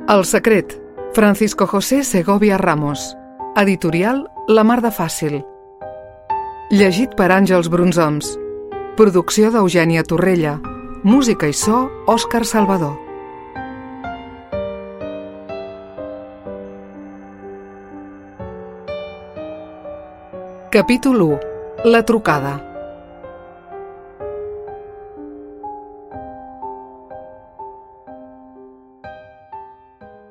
El secret, Francisco José Segovia Ramos. Editorial La Mar de Fàcil. Llegit per Àngels Brunzoms. Producció d'Eugènia Torrella. Música i so, Òscar Salvador. Capítol 1. La trucada.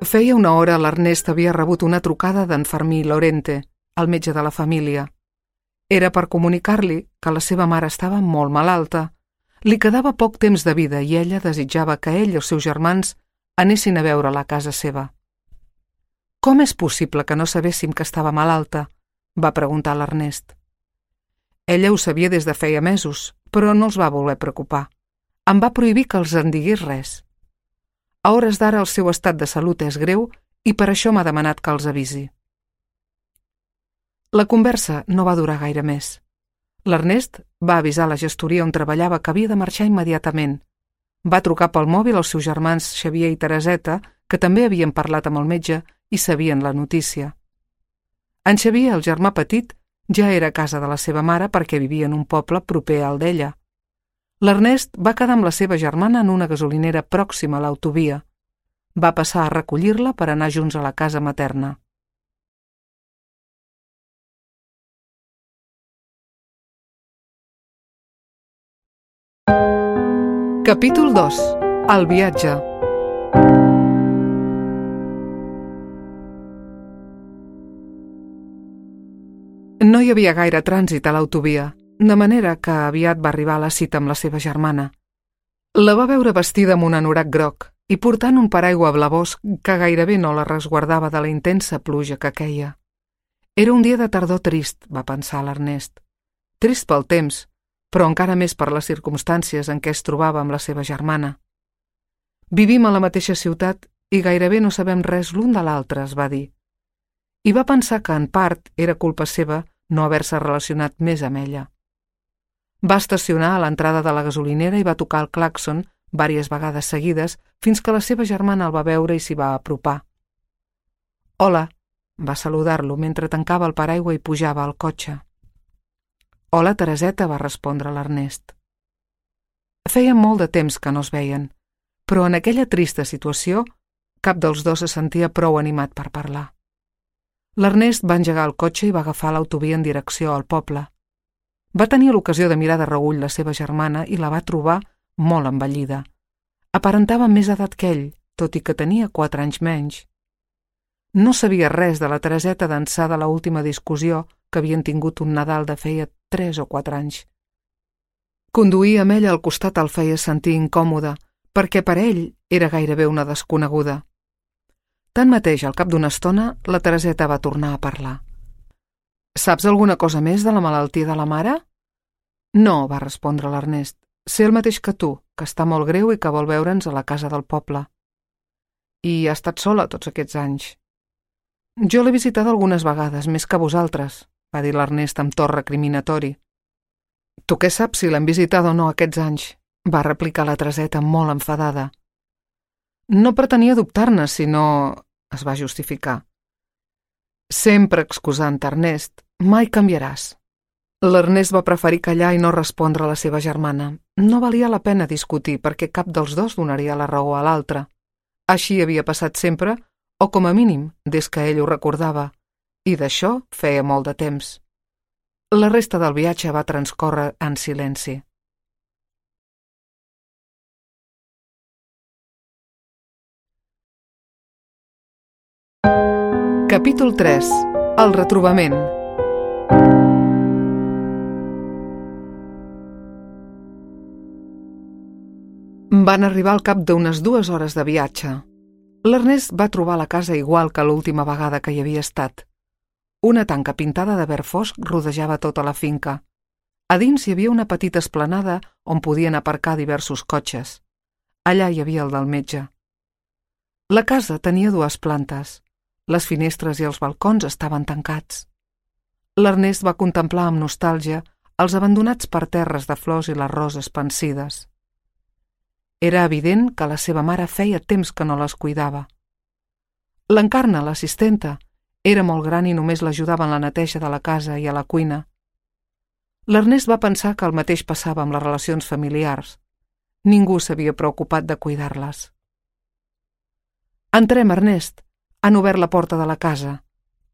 Feia una hora l'Ernest havia rebut una trucada d'en Fermí Lorente, el metge de la família. Era per comunicar-li que la seva mare estava molt malalta. Li quedava poc temps de vida i ella desitjava que ell i els seus germans anessin a veure-la a casa seva. «Com és possible que no sabéssim que estava malalta?», va preguntar l'Ernest. Ella ho sabia des de feia mesos, però no els va voler preocupar. Em va prohibir que els en digués res. A hores d'ara el seu estat de salut és greu i per això m'ha demanat que els avisi. La conversa no va durar gaire més. L'Ernest va avisar la gestoria on treballava que havia de marxar immediatament. Va trucar pel mòbil als seus germans Xavier i Tereseta, que també havien parlat amb el metge i sabien la notícia. En Xavier, el germà petit, ja era a casa de la seva mare perquè vivia en un poble proper al d'ella. L'Ernest va quedar amb la seva germana en una gasolinera pròxima a l'autovia. Va passar a recollir-la per anar junts a la casa materna. Capítol 2. El viatge. No hi havia gaire trànsit a l'autovia, de manera que aviat va arribar a la cita amb la seva germana. La va veure vestida amb un anorac groc i portant un paraigua blavós que gairebé no la resguardava de la intensa pluja que queia. Era un dia de tardor trist, va pensar l'Ernest. Trist pel temps, però encara més per les circumstàncies en què es trobava amb la seva germana. Vivim a la mateixa ciutat i gairebé no sabem res l'un de l'altre, es va dir. I va pensar que en part era culpa seva no haver-se relacionat més amb ella. Va estacionar a l'entrada de la gasolinera i va tocar el clàxon vàries vegades seguides fins que la seva germana el va veure i s'hi va apropar. «Hola», va saludar-lo mentre tancava el paraigua i pujava al cotxe. «Hola, Tereseta», va respondre l'Ernest. Feia molt de temps que no es veien, però en aquella trista situació cap dels dos se sentia prou animat per parlar. L'Ernest va engegar el cotxe i va agafar l'autovia en direcció al poble. Va tenir l'ocasió de mirar de reüll la seva germana i la va trobar molt envellida. Aparentava més edat que ell, tot i que tenia 4 anys menys. No sabia res de la Tereseta d'ençà de l'última discussió que havien tingut un Nadal de feia 3 o 4 anys. Conduir amb ella al costat el feia sentir incòmode, perquè per ell era gairebé una desconeguda. Tanmateix, al cap d'una estona, la Tereseta va tornar a parlar. «Saps alguna cosa més de la malaltia de la mare?» «No», va respondre l'Ernest. «Sé el mateix que tu, que està molt greu i que vol veure'ns a la casa del poble». «I ha estat sola tots aquests anys?» «Jo l'he visitada algunes vegades, més que vosaltres», va dir l'Ernest amb to recriminatori. «Tu què saps si l'hem visitada o no aquests anys?», va replicar la Tereseta molt enfadada. «No pretenia dubtar-ne, sinó...», es va justificar. «Sempre excusant, Ernest, mai canviaràs». L'Ernest va preferir callar i no respondre a la seva germana. No valia la pena discutir perquè cap dels dos donaria la raó a l'altre. Així havia passat sempre, o com a mínim, des que ell ho recordava, i d'això feia molt de temps. La resta del viatge va transcórrer en silenci. Capítol 3. El retrobament. Van arribar al cap d'unes 2 hores de viatge. L'Ernest va trobar la casa igual que l'última vegada que hi havia estat. Una tanca pintada de verd fosc rodejava tota la finca. A dins hi havia una petita esplanada on podien aparcar diversos cotxes. Allà hi havia el del metge. La casa tenia 2 plantes. Les finestres i els balcons estaven tancats. L'Ernest va contemplar amb nostàlgia els abandonats parterres de flors i les roses pansides. Era evident que la seva mare feia temps que no les cuidava. L'Encarna, l'assistenta, era molt gran i només l'ajudava en la neteja de la casa i a la cuina. L'Ernest va pensar que el mateix passava amb les relacions familiars. Ningú s'havia preocupat de cuidar-les. «Entrem, Ernest. Han obert la porta de la casa»,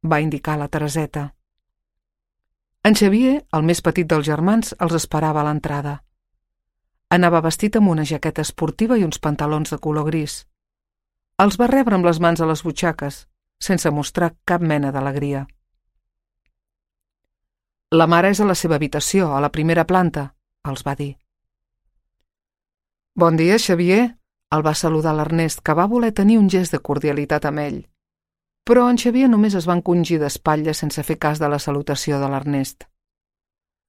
va indicar la Tereseta. En Xavier, el més petit dels germans, els esperava a l'entrada. Anava vestit amb una jaqueta esportiva i uns pantalons de color gris. Els va rebre amb les mans a les butxaques, sense mostrar cap mena d'alegria. «La mare és a la seva habitació, a la primera planta», els va dir. «Bon dia, Xavier», el va saludar l'Ernest, que va voler tenir un gest de cordialitat amb ell. Però en Xavier només es va encongir d'espatlles sense fer cas de la salutació de l'Ernest.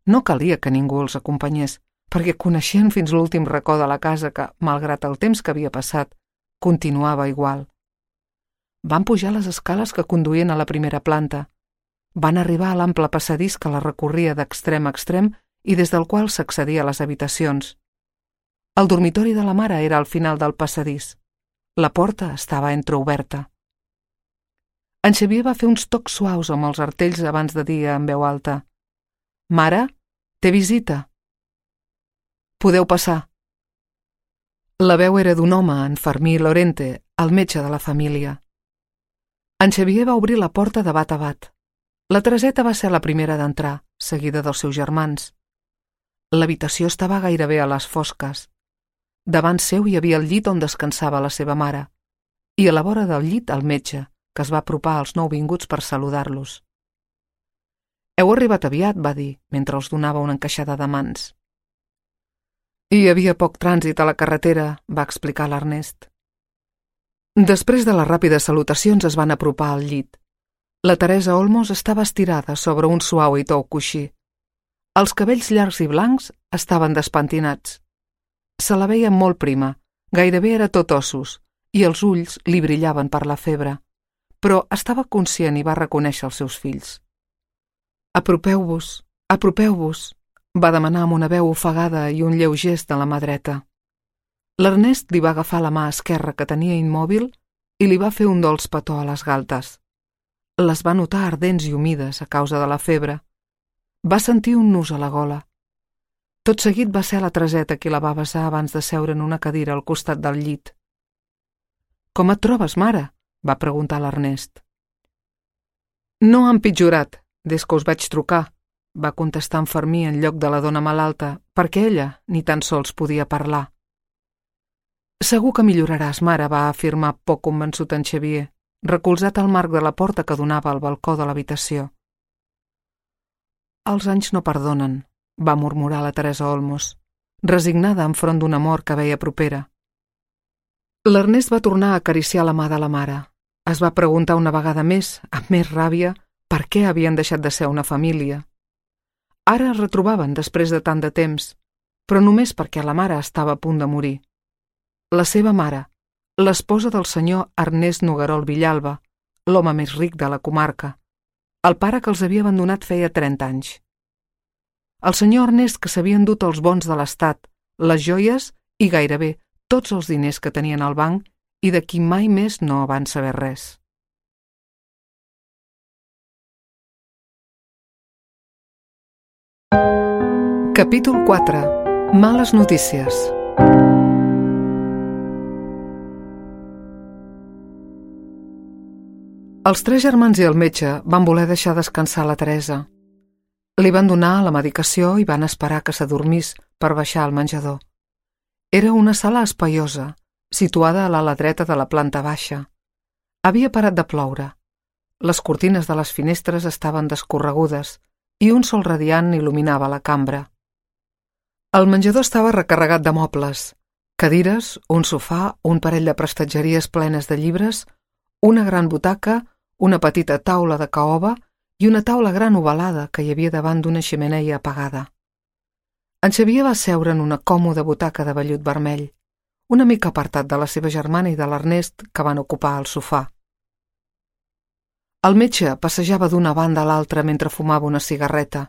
No calia que ningú els acompanyés, perquè coneixien fins l'últim racó de la casa que, malgrat el temps que havia passat, continuava igual. Van pujar les escales que conduïen a la primera planta. Van arribar a l'ample passadís que la recorria d'extrem a extrem i des del qual s'accedia a les habitacions. El dormitori de la mare era al final del passadís. La porta estava entreoberta. En Xavier va fer uns tocs suaus amb els artells abans de dir en veu alta: «Mare, té visita». «Podeu passar». La veu era d'un home, en Fermí Lorente, el metge de la família. En Xavier va obrir la porta de bat a bat. La Tereseta va ser la primera d'entrar, seguida dels seus germans. L'habitació estava gairebé a les fosques. Davant seu hi havia el llit on descansava la seva mare, i a la vora del llit el metge, que es va apropar als nouvinguts per saludar-los. «Heu arribat aviat», va dir, mentre els donava una encaixada de mans. «Hi havia poc trànsit a la carretera», va explicar l'Ernest. Després de les ràpides salutacions es van apropar al llit. La Teresa Olmos estava estirada sobre un suau i tou coixí. Els cabells llargs i blancs estaven despentinats. Se la veia molt prima, gairebé era tot ossos, i els ulls li brillaven per la febre, però estava conscient i va reconèixer els seus fills. «Apropeu-vos, apropeu-vos», va demanar amb una veu ofegada i un lleu gest de la mà dreta. L'Ernest li va agafar la mà esquerra que tenia immòbil i li va fer un dolç petó a les galtes. Les va notar ardents i humides a causa de la febre. Va sentir un nus a la gola. Tot seguit va ser la Tereseta qui la va besar abans de seure en una cadira al costat del llit. «Com et trobes, mare?», va preguntar l'Ernest. «No ha empitjorat, des que us vaig trucar», va contestar en Fermí en lloc de la dona malalta, perquè ella ni tan sols podia parlar. «Segur que milloraràs, mare», va afirmar poc convençut en Xavier, recolzat al marc de la porta que donava al balcó de l'habitació. «Els anys no perdonen», va murmurar la Teresa Olmos, resignada enfront d'un amor que veia propera. L'Ernest va tornar a acariciar la mà de la mare. Es va preguntar una vegada més, amb més ràbia, per què havien deixat de ser una família. Ara es retrobaven després de tant de temps, però només perquè la mare estava a punt de morir. La seva mare, l'esposa del senyor Ernest Noguerol Villalba, l'home més ric de la comarca, el pare que els havia abandonat feia 30 anys. El senyor Ernest que s'havia endut els bons de l'Estat, les joies i gairebé tots els diners que tenien al banc i de qui mai més no van saber res. Capítol 4. Males notícies. Els 3 germans i el metge van voler deixar descansar la Teresa. Li van donar la medicació i van esperar que s'adormís per baixar al menjador. Era una sala espaiosa, situada a l'ala dreta de la planta baixa. Havia parat de ploure. Les cortines de les finestres estaven descorregudes i un sol radiant il·luminava la cambra. El menjador estava recarregat de mobles, cadires, un sofà, un parell de prestatgeries plenes de llibres, una gran butaca, una petita taula de caoba i una taula gran ovalada que hi havia davant d'una xemeneia apagada. En Xavier va seure en una còmoda butaca de vellut vermell, una mica apartat de la seva germana i de l'Ernest que van ocupar el sofà. El metge passejava d'una banda a l'altra mentre fumava una cigarreta.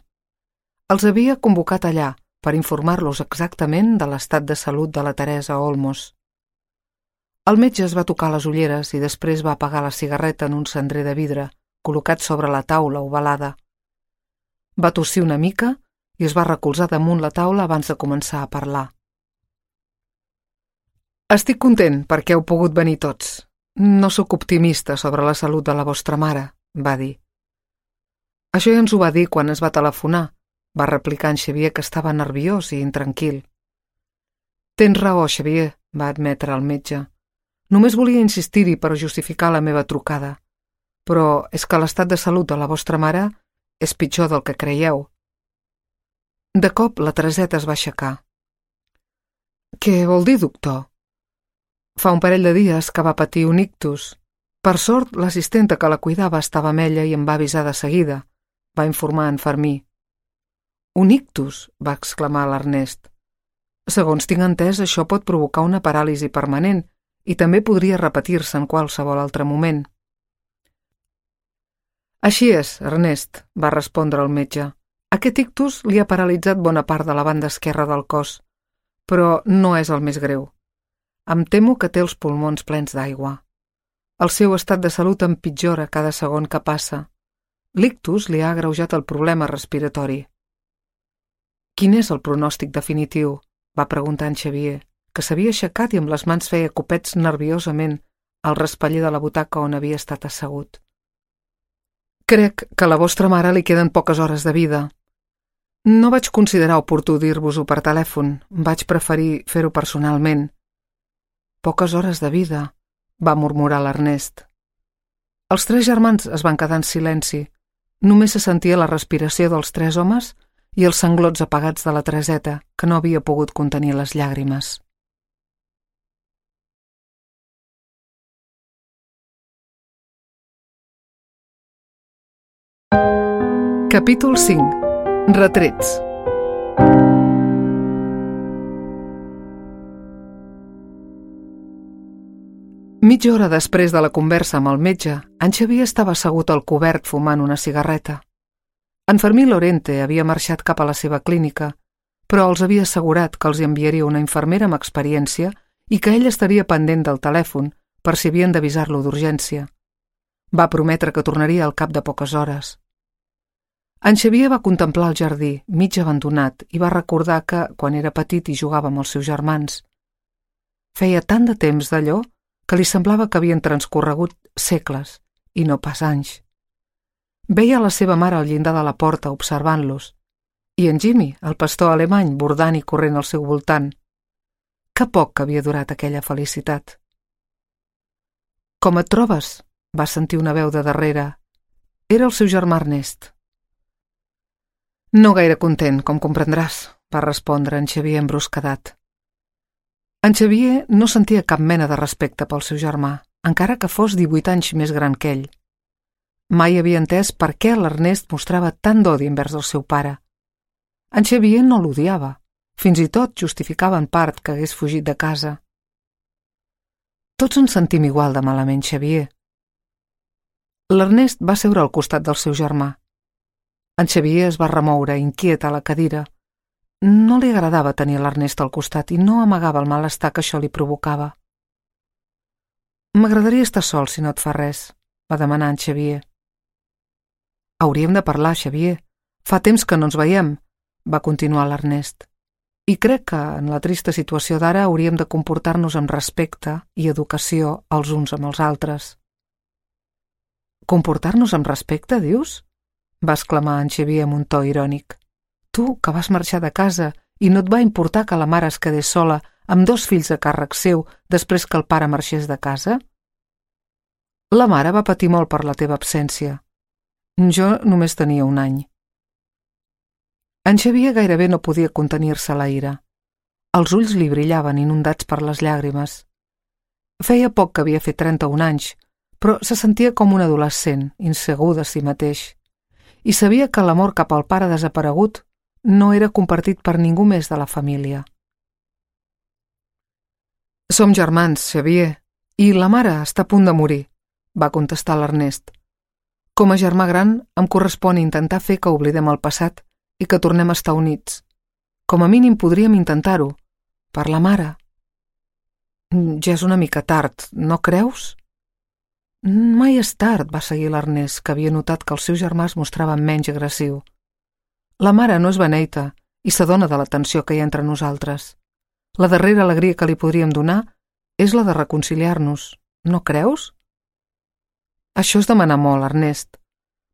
Els havia convocat allà per informar-los exactament de l'estat de salut de la Teresa Olmos. El metge es va tocar les ulleres i després va apagar la cigarreta en un cendrer de vidre col·locat sobre la taula ovalada. Va tossir una mica i es va recolzar damunt la taula abans de començar a parlar. Estic content perquè heu pogut venir tots. No sóc optimista sobre la salut de la vostra mare, va dir. Això ja ens ho va dir quan es va telefonar, va replicar en Xavier, que estava nerviós i intranquil. Tens raó, Xavier, va admetre el metge. Només volia insistir-hi per justificar la meva trucada. Però és que l'estat de salut de la vostra mare és pitjor del que creieu. De cop la Tereseta es va aixecar. Què vol dir, doctor? Fa un parell de dies que va patir un ictus. Per sort, l'assistenta que la cuidava estava amb ella i em va avisar de seguida, va informar en Fermí. Un ictus, va exclamar l'Ernest. Segons tinc entès, això pot provocar una paràlisi permanent i també podria repetir-se en qualsevol altre moment. Així és, Ernest, va respondre el metge. Aquest ictus li ha paralitzat bona part de la banda esquerra del cos, però no és el més greu. Em temo que té els pulmons plens d'aigua. El seu estat de salut empitjora cada segon que passa. L'ictus li ha agreujat el problema respiratori. Quin és el pronòstic definitiu? Va preguntar en Xavier, que s'havia aixecat i amb les mans feia copets nerviosament al raspaller de la butaca on havia estat assegut. Crec que a la vostra mare li queden poques hores de vida. No vaig considerar oportú dir-vos-ho per telèfon, vaig preferir fer-ho personalment. Poques hores de vida, va murmurar l'Ernest. Els tres germans es van quedar en silenci. Només se sentia la respiració dels tres homes i els sanglots apagats de la Tereseta, que no havia pogut contenir les llàgrimes. Capítol 5. Retrets. Mitja hora després de la conversa amb el metge, en Xavier estava assegut al cobert fumant una cigarreta. En Fermí Lorente havia marxat cap a la seva clínica, però els havia assegurat que els hi enviaria una infermera amb experiència i que ell estaria pendent del telèfon per si havien d'avisar-lo d'urgència. Va prometre que tornaria al cap de poques hores. En Xavier va contemplar el jardí, mig abandonat, i va recordar que, quan era petit i jugava amb els seus germans, feia tant de temps d'allò que li semblava que havien transcorregut segles i no pas anys. Veia la seva mare al llindar de la porta observant-los, i en Jimmy, el pastor alemany, bordant i corrent al seu voltant. Que poc que havia durat aquella felicitat. «Com et trobes?», va sentir una veu de darrere. Era el seu germà Ernest. «No gaire content, com comprendràs», va respondre en Xavier embruscadat. En Xavier no sentia cap mena de respecte pel seu germà, encara que fos 18 anys més gran que ell. Mai havia entès per què l'Ernest mostrava tant d'odi envers el seu pare. En Xavier no l'odiava, fins i tot justificava en part que hagués fugit de casa. «Tots ens sentim igual de malament, Xavier». L'Ernest va seure al costat del seu germà. En Xavier es va remoure, inquiet, a la cadira. No li agradava tenir l'Ernest al costat i no amagava el malestar que això li provocava. «M'agradaria estar sol, si no et fa res», va demanar en Xavier. «Hauríem de parlar, Xavier. Fa temps que no ens veiem», va continuar l'Ernest. «I crec que, en la trista situació d'ara, hauríem de comportar-nos amb respecte i educació els uns amb els altres». «Comportar-nos amb respecte, dius?», va exclamar en Xavier amb un to irònic. «Tu, que vas marxar de casa i no et va importar que la mare es quedés sola amb 2 fills a càrrec seu després que el pare marxés de casa?» «La mare va patir molt per la teva absència. Jo només tenia 1 any». En Xavier gairebé no podia contenir-se la ira. Els ulls li brillaven, inundats per les llàgrimes. Feia poc que havia fet 31 anys, però se sentia com un adolescent, insegur de si mateix, i sabia que l'amor cap al pare desaparegut no era compartit per ningú més de la família. «Som germans, Xavier, i la mare està a punt de morir», va contestar l'Ernest. «Com a germà gran em correspon intentar fer que oblidem el passat i que tornem a estar units. Com a mínim podríem intentar-ho, per la mare». Ja és una mica tard, no creus? Mai és tard, va seguir l'Ernest, que havia notat que el seu germà es mostrava menys agressiu. La mare no és beneita i s'adona de la tensió que hi ha entre nosaltres. La darrera alegria que li podríem donar és la de reconciliar-nos, no creus? Això és demanar molt, Ernest,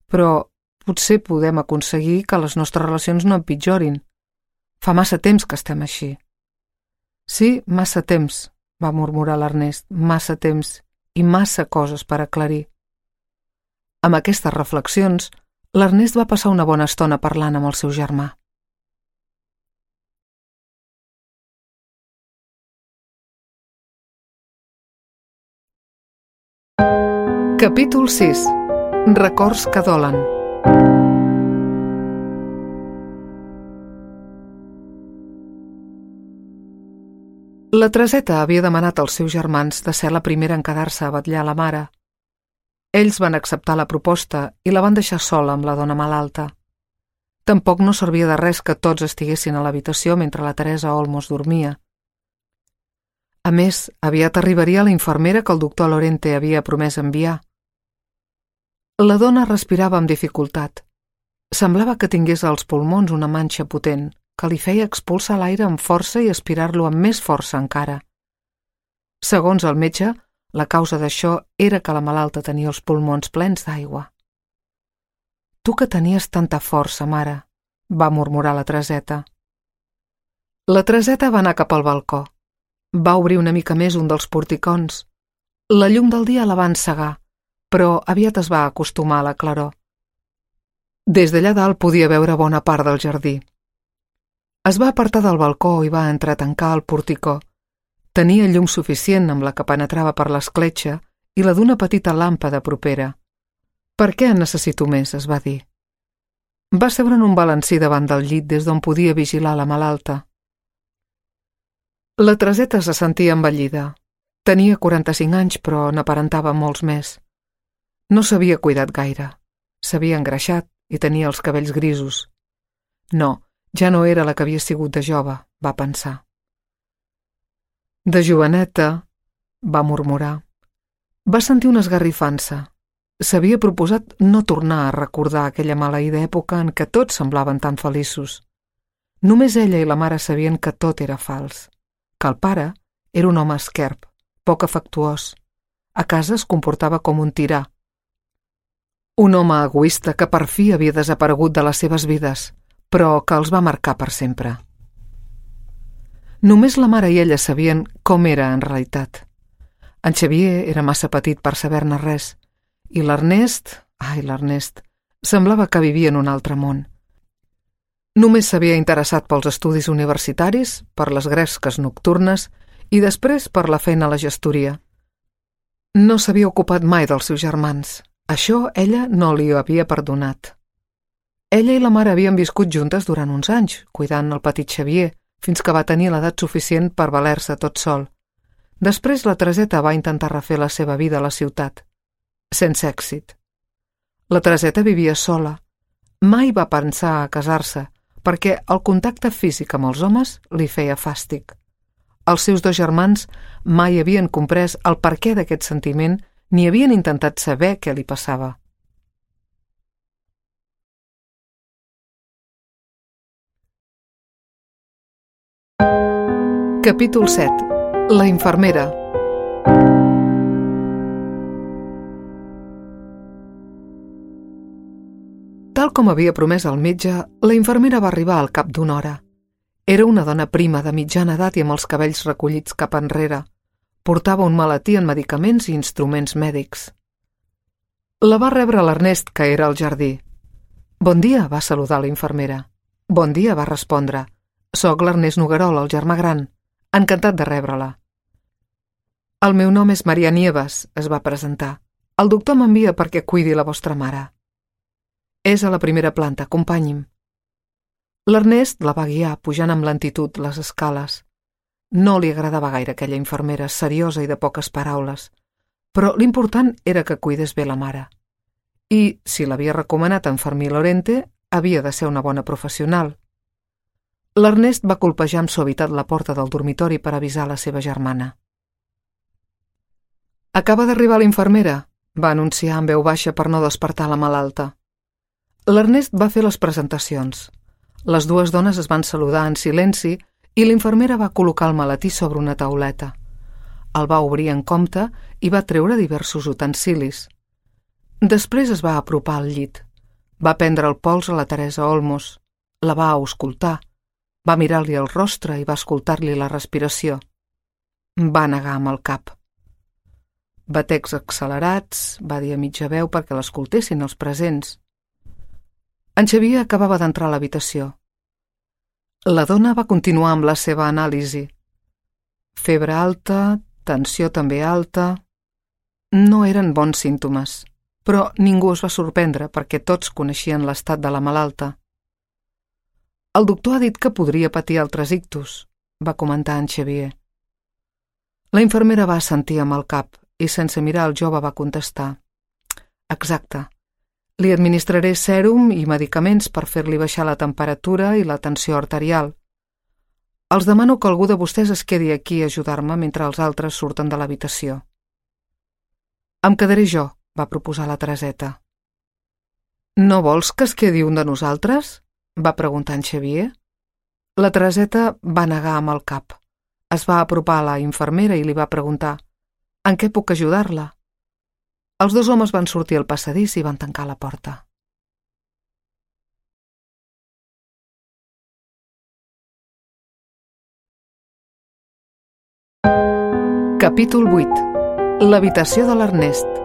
però potser podem aconseguir que les nostres relacions no empitjorin. Fa massa temps que estem així. Sí, massa temps, va murmurar l'Ernest, massa temps i massa coses per aclarir. Amb aquestes reflexions, l'Ernest va passar una bona estona parlant amb el seu germà. Capítol 6. Records que dolen. La Tereseta havia demanat als seus germans de ser la primera en quedar-se a vetllar la mare. Ells van acceptar la proposta i la van deixar sola amb la dona malalta. Tampoc no servia de res que tots estiguessin a l'habitació mentre la Teresa Olmos dormia. A més, aviat arribaria la infermera que el doctor Lorente havia promès enviar. La dona respirava amb dificultat. Semblava que tingués als pulmons una manxa potent, que li feia expulsar l'aire amb força i aspirar-lo amb més força encara. Segons el metge, la causa d'això era que la malalta tenia els pulmons plens d'aigua. «Tu que tenies tanta força, mare», va murmurar la Tereseta. La Tereseta va anar cap al balcó. Va obrir una mica més un dels porticons. La llum del dia la va encegar, però aviat es va acostumar a la claror. Des d'allà dalt podia veure bona part del jardí. Es va apartar del balcó i va entrar a tancar el porticó. Tenia llum suficient amb la que penetrava per l'escletxa i la d'una petita làmpada propera. «Per què en necessito més?», es va dir. Va seure en un balancí davant del llit des d'on podia vigilar la malalta. La Tereseta se sentia envellida. Tenia 45 anys, però n'aparentava molts més. No s'havia cuidat gaire. S'havia engreixat i tenia els cabells grisos. No, ja no era la que havia sigut de jove, va pensar. De joveneta, va murmurar. Va sentir una esgarrifança. S'havia proposat no tornar a recordar aquella maleïda època en què tots semblaven tan feliços. Només ella i la mare sabien que tot era fals, que el pare era un home esquerp, poc afectuós. A casa es comportava com un tirà. Un home egoista que per fi havia desaparegut de les seves vides, però que els va marcar per sempre. Només la mare i ella sabien com era en realitat. En Xavier era massa petit per saber-ne res, i l'Ernest, semblava que vivia en un altre món. Només s'havia interessat pels estudis universitaris, per les gresques nocturnes i després per la feina a la gestoria. No s'havia ocupat mai dels seus germans. Això ella no li ho havia perdonat. Ella i la mare havien viscut juntes durant uns anys, cuidant el petit Xavier, fins que va tenir l'edat suficient per valer-se tot sol. Després la Tereseta va intentar refer la seva vida a la ciutat. Sense èxit. La Tereseta vivia sola. Mai va pensar a casar-se, perquè el contacte físic amb els homes li feia fàstic. Els seus dos germans mai havien comprès el perquè d'aquest sentiment ni havien intentat saber què li passava. Capítol 7. La infermera. Tal com havia promès el metge, la infermera va arribar al cap d'una hora. Era una dona prima de mitjana edat i amb els cabells recollits cap enrere. Portava un maletí en medicaments i instruments mèdics. La va rebre l'Ernest, que era al jardí. «Bon dia», va saludar la infermera. «Bon dia», va respondre. «Soc l'Ernest Noguerol, el germà gran. Encantat de rebre-la». «El meu nom és Maria Nieves», es va presentar. «El doctor m'envia perquè cuidi la vostra mare». «És a la primera planta, acompanyi'm». L'Ernest la va guiar, pujant amb lentitud les escales. No li agradava gaire aquella infermera, seriosa i de poques paraules, però l'important era que cuidés bé la mare. I, si l'havia recomanat en Fermí Lorente, havia de ser una bona professional. L'Ernest va colpejar amb suavitat la porta del dormitori per avisar la seva germana. Acaba d'arribar l'infermera, va anunciar en veu baixa per no despertar la malalta. L'Ernest va fer les presentacions. Les dues dones es van saludar en silenci i l'infermera va col·locar el maletí sobre una tauleta. El va obrir en compte i va treure diversos utensilis. Després es va apropar al llit. Va prendre el pols a la Teresa Olmos. La va auscultar. Va mirar-li el rostre i va escoltar-li la respiració. Va negar amb el cap. Batecs accelerats, va dir a mitja veu perquè l'escoltessin els presents. En Xavier acabava d'entrar a l'habitació. La dona va continuar amb la seva anàlisi. Febre alta, tensió també alta... No eren bons símptomes, però ningú es va sorprendre perquè tots coneixien l'estat de la malalta. El doctor ha dit que podria patir altres ictus, va comentar en Xavier. La infermera va assentir amb el cap i sense mirar el jove va contestar. Exacte. Li administraré sèrum i medicaments per fer-li baixar la temperatura i la tensió arterial. Els demano que algú de vostès es quedi aquí a ajudar-me mentre els altres surten de l'habitació. Em quedaré jo, va proposar la Tereseta. No vols que es quedi un de nosaltres? Va preguntar en Xavier. La Tereseta va negar amb el cap. Es va apropar a la infermera i li va preguntar: en què puc ajudar-la? Els dos homes van sortir al passadís i van tancar la porta. Capítol 8. L'habitació de l'Ernest.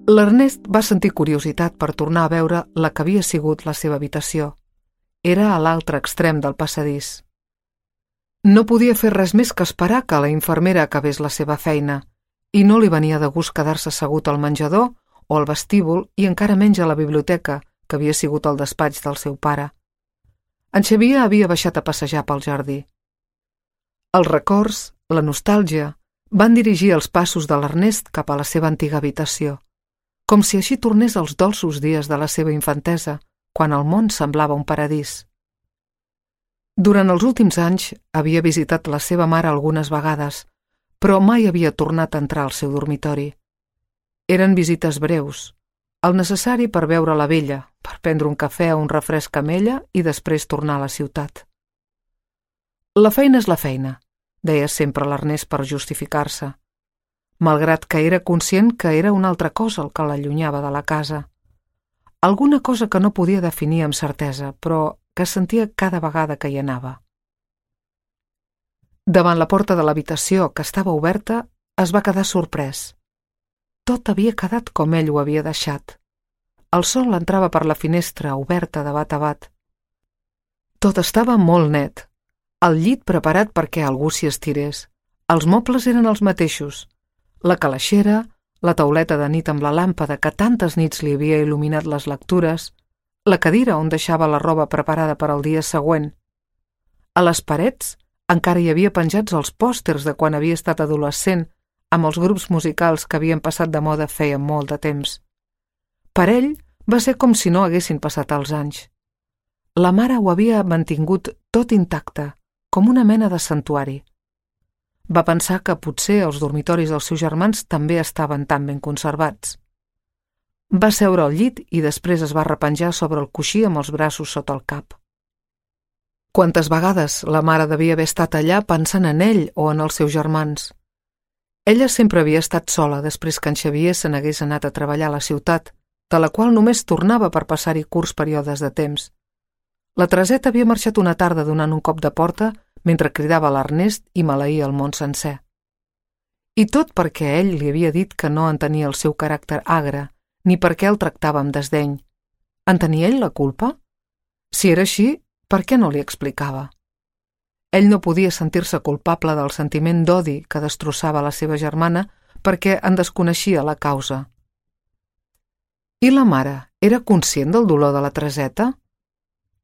L'Ernest va sentir curiositat per tornar a veure la que havia sigut la seva habitació. Era a l'altre extrem del passadís. No podia fer res més que esperar que la infermera acabés la seva feina, i no li venia de gust quedar-se assegut al menjador o al vestíbul i encara menys a la biblioteca, que havia sigut el despatx del seu pare. En Xavier havia baixat a passejar pel jardí. Els records, la nostàlgia, van dirigir els passos de l'Ernest cap a la seva antiga habitació, com si així tornés als dolços dies de la seva infantesa, quan el món semblava un paradís. Durant els últims anys havia visitat la seva mare algunes vegades, però mai havia tornat a entrar al seu dormitori. Eren visites breus, el necessari per veure la vella, per prendre un cafè o un refresc amb ella i després tornar a la ciutat. La feina és la feina, deia sempre l'Ernest per justificar-se, malgrat que era conscient que era una altra cosa el que l'allunyava de la casa. Alguna cosa que no podia definir amb certesa, però que sentia cada vegada que hi anava. Davant la porta de l'habitació, que estava oberta, es va quedar sorprès. Tot havia quedat com ell ho havia deixat. El sol entrava per la finestra, oberta de bat a bat. Tot estava molt net. El llit preparat perquè algú s'hi estirés. Els mobles eren els mateixos. La calaixera, la tauleta de nit amb la làmpada que tantes nits li havia il·luminat les lectures, la cadira on deixava la roba preparada per al dia següent. A les parets encara hi havia penjats els pòsters de quan havia estat adolescent, amb els grups musicals que havien passat de moda feia molt de temps. Per ell va ser com si no haguessin passat els anys. La mare ho havia mantingut tot intacte, com una mena de santuari. Va pensar que potser els dormitoris dels seus germans també estaven tan ben conservats. Va seure al llit i després es va repenjar sobre el coixí amb els braços sota el cap. Quantes vegades la mare devia haver estat allà pensant en ell o en els seus germans. Ella sempre havia estat sola després que en Xavier se n'hagués anat a treballar a la ciutat, de la qual només tornava per passar-hi curts períodes de temps. La Tereseta havia marxat una tarda donant un cop de porta mentre cridava l'Ernest i maleïa el món sencer. I tot perquè ell li havia dit que no entenia el seu caràcter agre, ni perquè el tractava amb desdeny. En tenia ell la culpa? Si era així, per què no li explicava? Ell no podia sentir-se culpable del sentiment d'odi que destrossava la seva germana perquè en desconeixia la causa. I la mare era conscient del dolor de la Tereseta?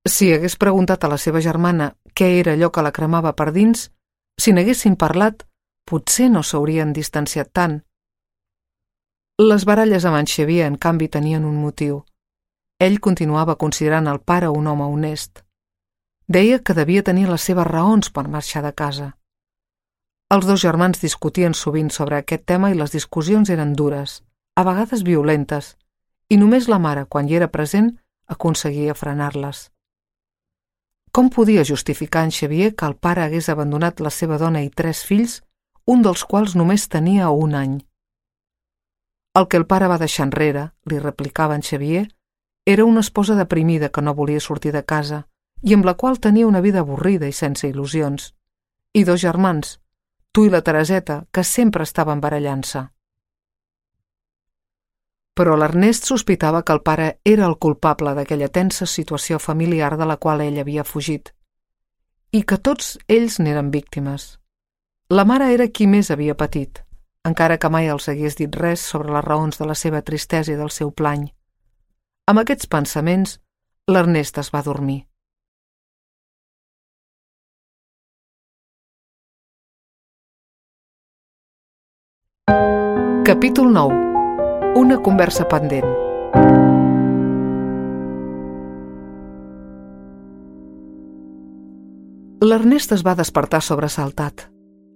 Si hagués preguntat a la seva germana què era allò que la cremava per dins, si n'haguessin parlat, potser no s'haurien distanciat tant. Les baralles amb en Xavier, en canvi, tenien un motiu. Ell continuava considerant el pare un home honest. Deia que devia tenir les seves raons per marxar de casa. Els dos germans discutien sovint sobre aquest tema i les discussions eren dures, a vegades violentes, i només la mare, quan hi era present, aconseguia frenar-les. Com podia justificar en Xavier que el pare hagués abandonat la seva dona i 3 fills, un dels quals només tenia 1 any? El que el pare va deixar enrere, li replicava en Xavier, era una esposa deprimida que no volia sortir de casa i amb la qual tenia una vida avorrida i sense il·lusions, i 2 germans, tu i la Tereseta, que sempre estaven barallant-se. Però l'Ernest sospitava que el pare era el culpable d'aquella tensa situació familiar de la qual ell havia fugit, i que tots ells n'eren víctimes. La mare era qui més havia patit, encara que mai els hagués dit res sobre les raons de la seva tristesa i del seu plany. Amb aquests pensaments, l'Ernest es va dormir. Capítol 9. Una conversa pendent. L'Ernest es va despertar sobresaltat.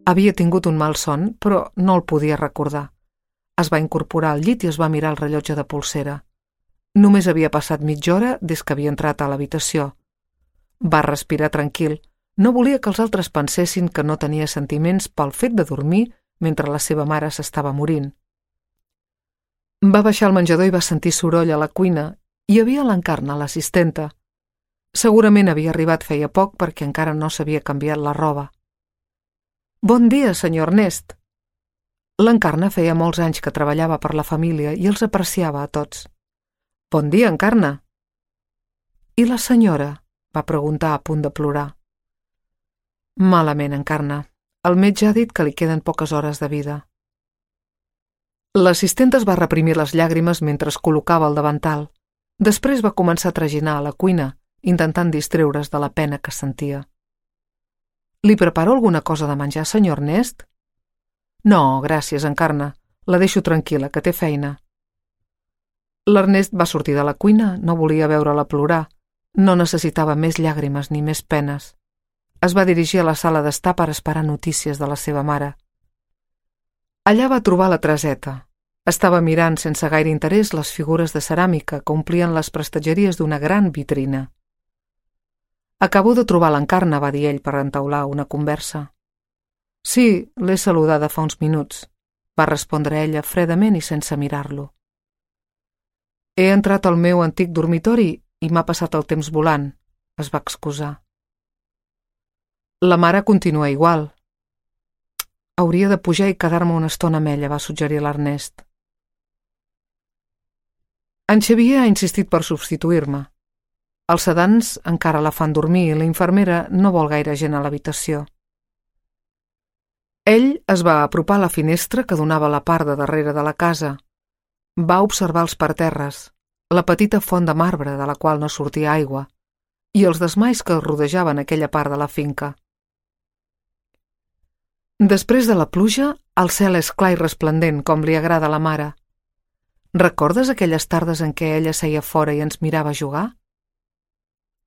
Havia tingut un mal son, però no el podia recordar. Es va incorporar al llit i es va mirar el rellotge de polsera. Només havia passat mitja hora des que havia entrat a l'habitació. Va respirar tranquil. No volia que els altres pensessin que no tenia sentiments pel fet de dormir mentre la seva mare s'estava morint. Va baixar al menjador i va sentir soroll a la cuina. Hi havia l'Encarna, l'assistenta. Segurament havia arribat feia poc perquè encara no s'havia canviat la roba. «Bon dia, senyor Ernest». L'Encarna feia molts anys que treballava per la família i els apreciava a tots. «Bon dia, Encarna». «I la senyora?», va preguntar a punt de plorar. «Malament, Encarna. El metge ha dit que li queden poques hores de vida». L'assistent es va reprimir les llàgrimes mentre es col·locava el davantal. Després va començar a traginar a la cuina, intentant distreure's de la pena que sentia. «Li preparo alguna cosa de menjar, senyor Ernest?» «No, gràcies, Encarna. La deixo tranquil·la, que té feina». L'Ernest va sortir de la cuina, no volia veure-la plorar. No necessitava més llàgrimes ni més penes. Es va dirigir a la sala d'estar per esperar notícies de la seva mare. Allà va trobar la Tereseta. Estava mirant sense gaire interès les figures de ceràmica que omplien les prestatgeries d'una gran vitrina. «Acabo de trobar l'Encarna», va dir ell per entaular una conversa. «Sí, l'he saludada fa uns minuts», va respondre ella fredament i sense mirar-lo. «He entrat al meu antic dormitori i m'ha passat el temps volant», es va excusar. La mare continua igual. «Hauria de pujar i quedar-me una estona amb ella», va suggerir l'Ernest. En Xavier ha insistit per substituir-me. Els sedants encara la fan dormir i la infermera no vol gaire gent a l'habitació. Ell es va apropar a la finestra que donava a la part de darrere de la casa. Va observar els parterres, la petita font de marbre de la qual no sortia aigua, i els desmais que rodejaven aquella part de la finca. Després de la pluja, el cel és clar i resplendent, com li agrada a la mare. Recordes aquelles tardes en què ella seia fora i ens mirava jugar?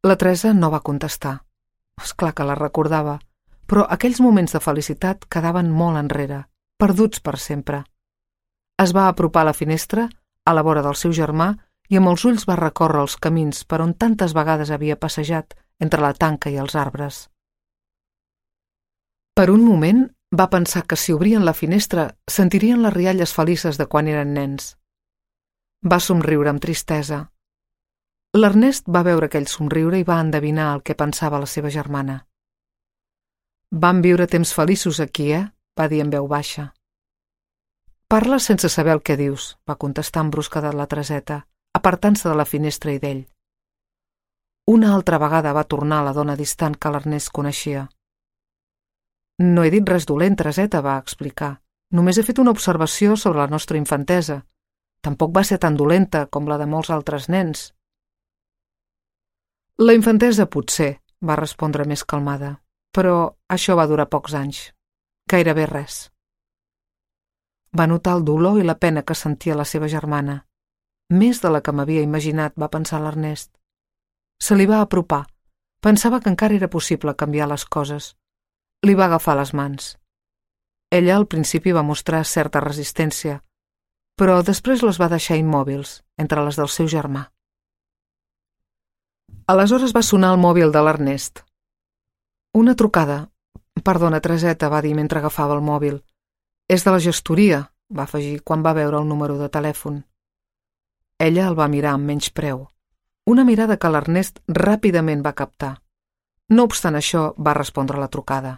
La Teresa no va contestar. És clar que la recordava, però aquells moments de felicitat quedaven molt enrere, perduts per sempre. Es va apropar a la finestra, a la vora del seu germà, i amb els ulls va recórrer els camins per on tantes vegades havia passejat entre la tanca i els arbres. Per un moment va pensar que si obrien la finestra sentirien les rialles felices de quan eren nens. Va somriure amb tristesa. L'Ernest va veure aquell somriure i va endevinar el que pensava la seva germana. «Vam viure temps feliços aquí, va dir en veu baixa. «Parles sense saber el que dius», va contestar amb brusquedat la Tereseta, apartant-se de la finestra i d'ell. Una altra vegada va tornar la dona distant que l'Ernest coneixia. «No he dit res dolent, Tereseta», va explicar. «Només he fet una observació sobre la nostra infantesa. Tampoc va ser tan dolenta com la de molts altres nens». «La infantesa potser», va respondre més calmada, «però això va durar pocs anys. Gairebé res». Va notar el dolor i la pena que sentia la seva germana. Més de la que m'havia imaginat, va pensar l'Ernest. Se li va apropar, Pensava que encara era possible canviar les coses. Li va agafar les mans. Ella al principi va mostrar certa resistència, però després les va deixar immòbils, entre les del seu germà. Aleshores va sonar el mòbil de l'Ernest. Una trucada. Perdona, Tereseta, va dir mentre agafava el mòbil. És de la gestoria, va afegir quan va veure el número de telèfon. Ella el va mirar amb menyspreu. Una mirada que l'Ernest ràpidament va captar. No obstant això, va respondre la trucada.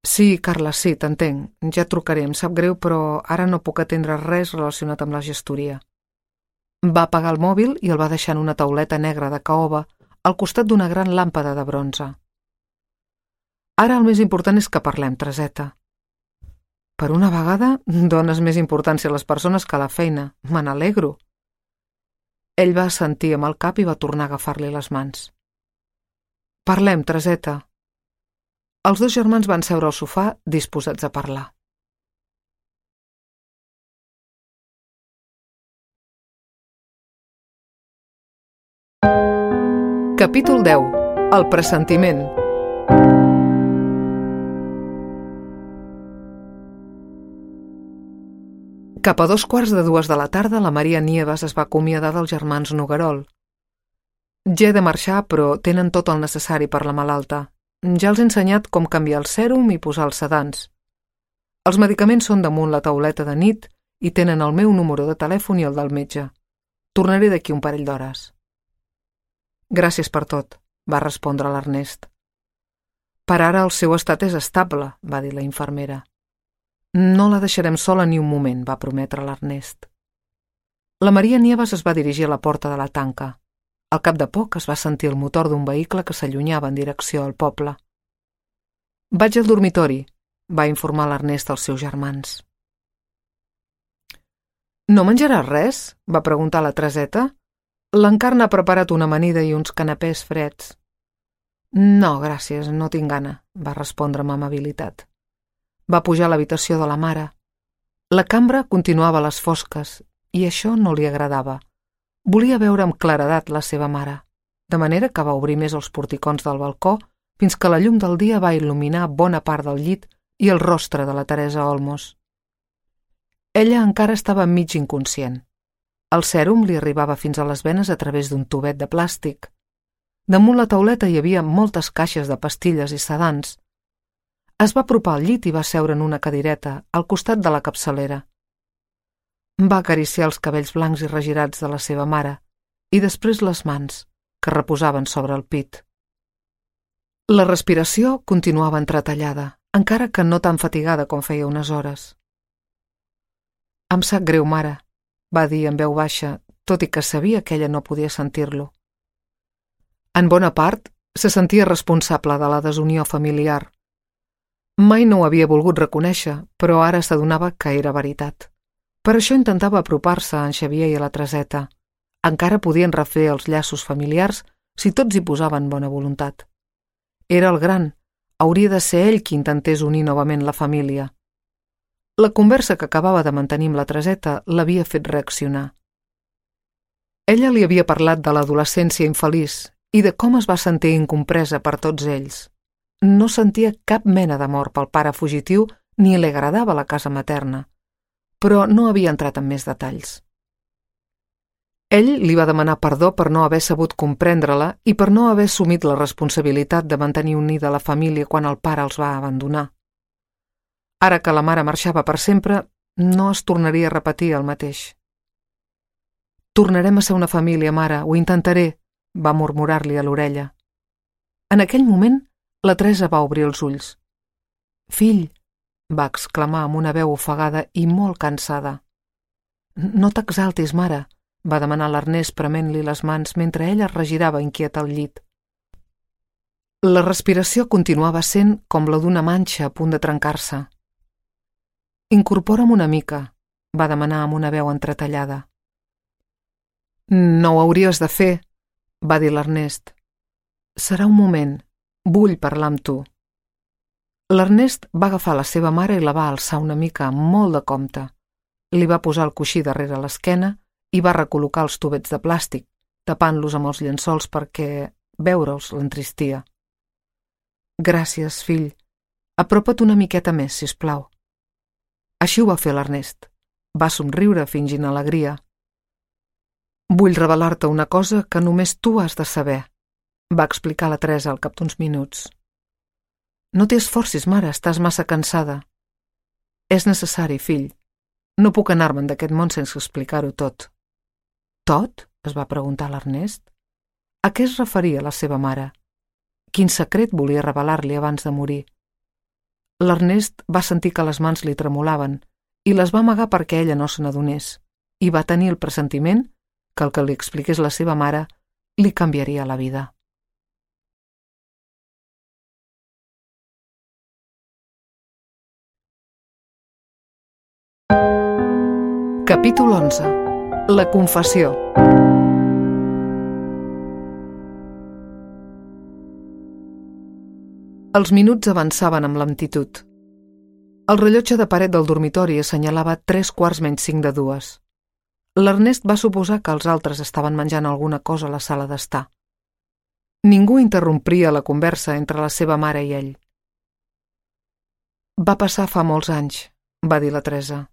Sí, Carla, sí, t'entenc. Ja et trucaré, em sap greu, però ara no puc atendre res relacionat amb la gestoria. Va apagar el mòbil i el va deixar en una tauleta negra de caoba al costat d'una gran làmpada de bronze. Ara el més important és que parlem, Tereseta. Per una vegada, dones més importància a les persones que a la feina. Me n'alegro. Ell va assentir amb el cap i va tornar a agafar-li les mans. Parlem, Tereseta. Els dos germans van seure al sofà disposats a parlar. Capítol 10. El pressentiment. Cap a 2:15 de la tarda, la Maria Nieves es va acomiadar dels germans Noguerol. Ja he de marxar, però tenen tot el necessari per la malalta. Ja els he ensenyat com canviar el sèrum i posar els sedants. Els medicaments són damunt la tauleta de nit i tenen el meu número de telèfon i el del metge. Tornaré d'aquí un parell d'hores. Gràcies per tot, va respondre l'Ernest. Per ara el seu estat és estable, va dir la infermera. No la deixarem sola ni un moment, va prometre l'Ernest. La Maria Nieves es va dirigir a la porta de la tanca. Al cap de poc es va sentir el motor d'un vehicle que s'allunyava en direcció al poble. Vaig al dormitori, va informar l'Ernest als seus germans. No menjaràs res? Va preguntar la Tereseta. L'Encarna ha preparat una amanida i uns canapès freds. No, gràcies, no tinc gana, va respondre amb amabilitat. Va pujar a l'habitació de la mare. La cambra continuava a les fosques i això no li agradava. Volia veure amb claredat la seva mare, de manera que va obrir més els porticons del balcó fins que la llum del dia va il·luminar bona part del llit i el rostre de la Teresa Olmos. Ella encara estava mig inconscient. El sèrum li arribava fins a les venes a través d'un tubet de plàstic. Damunt la tauleta hi havia moltes caixes de pastilles i sedants. Es va apropar al llit i va seure en una cadireta al costat de la capçalera. Va acariciar els cabells blancs i regirats de la seva mare i després les mans, que reposaven sobre el pit. La respiració continuava entretallada, encara que no tan fatigada com feia unes hores. Em sap greu, mare, va dir en veu baixa, tot i que sabia que ella no podia sentir-lo. En bona part, se sentia responsable de la desunió familiar. Mai no ho havia volgut reconèixer, però ara s'adonava que era veritat. Per això intentava apropar-se a en Xavier i a la Tereseta. Encara podien refer els llaços familiars si tots hi posaven bona voluntat. Era el gran, hauria de ser ell qui intentés unir novament la família. La conversa que acabava de mantenir amb la Tereseta l'havia fet reaccionar. Ella li havia parlat de l'adolescència infeliç i de com es va sentir incompresa per tots ells. No sentia cap mena d'amor pel pare fugitiu ni li agradava la casa materna, però no havia entrat en més detalls. Ell li va demanar perdó per no haver sabut comprendre-la i per no haver assumit la responsabilitat de mantenir unida la família quan el pare els va abandonar. Ara que la mare marxava per sempre, no es tornaria a repetir el mateix. Tornarem a ser una família, mare, ho intentaré, va murmurar-li a l'orella. En aquell moment, la Teresa va obrir els ulls. Fill, va exclamar amb una veu ofegada i molt cansada. No t'exaltis, mare, va demanar l'Ernest prement-li les mans mentre ella es regirava inquieta al llit. La respiració continuava sent com la d'una manxa a punt de trencar-se. Incorpora'm una mica, va demanar amb una veu entretallada. No ho hauries de fer, va dir l'Ernest. Serà un moment, vull parlar amb tu. L'Ernest va agafar la seva mare i la va alçar una mica amb molt de compte. Li va posar el coixí darrere l'esquena i va recol·locar els tubets de plàstic, tapant-los amb els llençols perquè, veure'ls l'entristia. Gràcies, fill. Apropa't una miqueta més, sisplau. Així ho va fer l'Ernest. Va somriure fingint alegria. Vull revelar-te una cosa que només tu has de saber, va explicar la Teresa al cap d'uns minuts. No t'hi esforcis, mare, estàs massa cansada. És necessari, fill. No puc anar-me'n d'aquest món sense explicar-ho tot. Tot? Es va preguntar l'Ernest. A què es referia la seva mare? Quin secret volia revelar-li abans de morir? L'Ernest va sentir que les mans li tremolaven i les va amagar perquè ella no se n'adonés, i va tenir el pressentiment que el que li expliqués la seva mare li canviaria la vida. Capítol 11. La confessió. Els minuts avançaven amb lentitud. El rellotge de paret del dormitori assenyalava 2:45. L'Ernest va suposar que els altres estaven menjant alguna cosa a la sala d'estar. Ningú interrompria la conversa entre la seva mare i ell. Va passar fa molts anys, va dir la Teresa.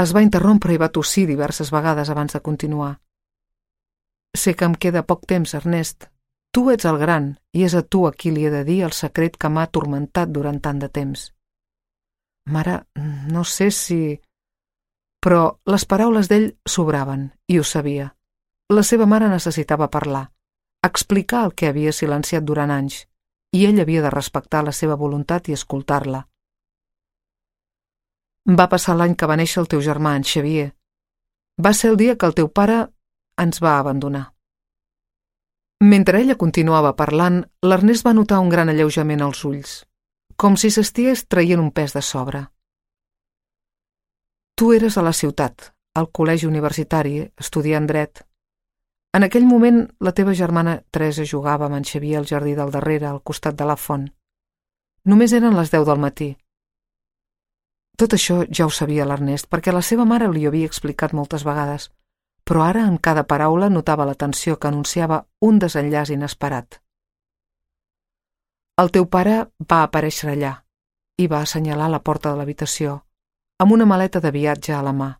Es va interrompre i va tossir diverses vegades abans de continuar. Sé que em queda poc temps, Ernest. Tu ets el gran i és a tu a qui li he de dir el secret que m'ha atormentat durant tant de temps. Mare, no sé si... Però les paraules d'ell sobraven, i ho sabia. La seva mare necessitava parlar, explicar el que havia silenciat durant anys, i ell havia de respectar la seva voluntat i escoltar-la. Va passar l'any que va néixer el teu germà, en Xavier. Va ser el dia que el teu pare ens va abandonar. Mentre ella continuava parlant, l'Ernest va notar un gran alleujament als ulls, com si s'estigués traient un pes de sobre. Tu eres a la ciutat, al col·legi universitari, estudiant dret. En aquell moment, la teva germana Teresa jugava amb en Xavier al jardí del darrere, al costat de la font. Només eren les 10 del matí. Tot això ja ho sabia l'Ernest, perquè la seva mare li ho havia explicat moltes vegades, però ara en cada paraula notava la tensió que anunciava un desenllaç inesperat. El teu pare va aparèixer allà i va assenyalar la porta de l'habitació, amb una maleta de viatge a la mà.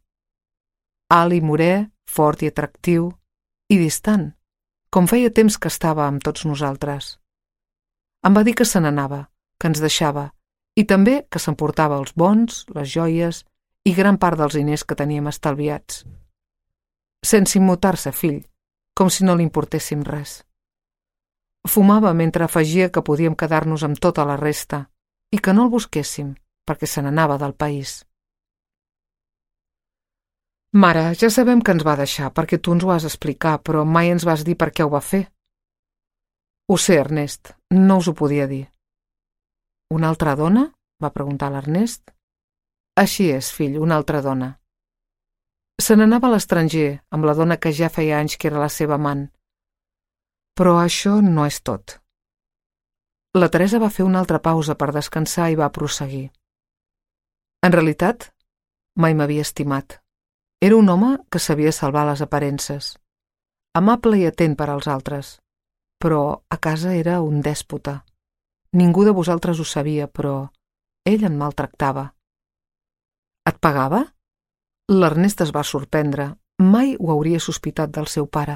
Alt i morè, fort i atractiu, i distant, com feia temps que estava amb tots nosaltres. Em va dir que se n'anava, que ens deixava, i també que s'emportava els bons, les joies i gran part dels diners que teníem estalviats. Sense immutar-se, fill, com si no li importéssim res. Fumava mentre afegia que podíem quedar-nos amb tota la resta i que no el busquéssim, perquè se n'anava del país. Mare, ja sabem que ens va deixar, perquè tu ens ho has explicat, però mai ens vas dir per què ho va fer. Ho sé, Ernest, no us ho podia dir. Una altra dona? Va preguntar l'Ernest. Així és, fill, una altra dona. Se n'anava a l'estranger, amb la dona que ja feia anys que era la seva amant. Però això no és tot. La Teresa va fer una altra pausa per descansar i va prosseguir. En realitat, mai m'havia estimat. Era un home que sabia salvar les aparences, amable i atent per als altres, però a casa era un dèspota. Ningú de vosaltres ho sabia, però ell em maltractava. Et pagava? L'Ernest es va sorprendre. Mai ho hauria sospitat del seu pare.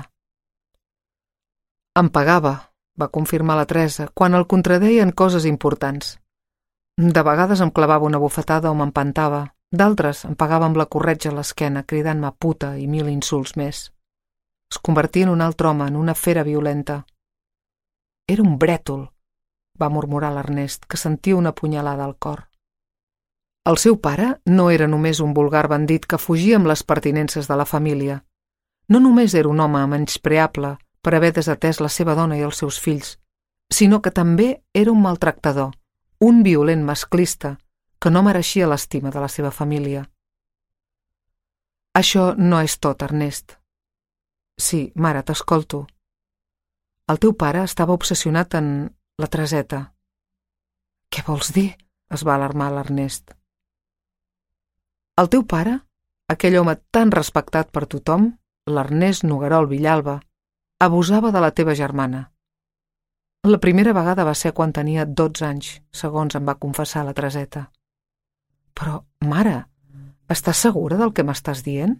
Em pagava, va confirmar la Teresa, quan el contradeien coses importants. De vegades em clavava una bufetada o m'empantava. D'altres em pagava amb la corretja a l'esquena, cridant-me puta i 1000 insults més. Es convertia en un altre home, en una fera violenta. Era un brètol, va murmurar l'Ernest, que sentia una punyalada al cor. El seu pare no era només un vulgar bandit que fugia amb les pertinences de la família. No només era un home menyspreable per haver desatès la seva dona i els seus fills, sinó que també era un maltractador, un violent masclista que no mereixia l'estima de la seva família. Això no és tot, Ernest. Sí, mare, t'escolto. El teu pare estava obsessionat en la Tereseta. Què vols dir? Es va alarmar l'Ernest. El teu pare, aquell home tan respectat per tothom, l'Ernest Noguerol Villalba, abusava de la teva germana. La primera vegada va ser quan tenia 12 anys, segons em va confessar la Tereseta. Però, mare, estàs segura del que m'estàs dient?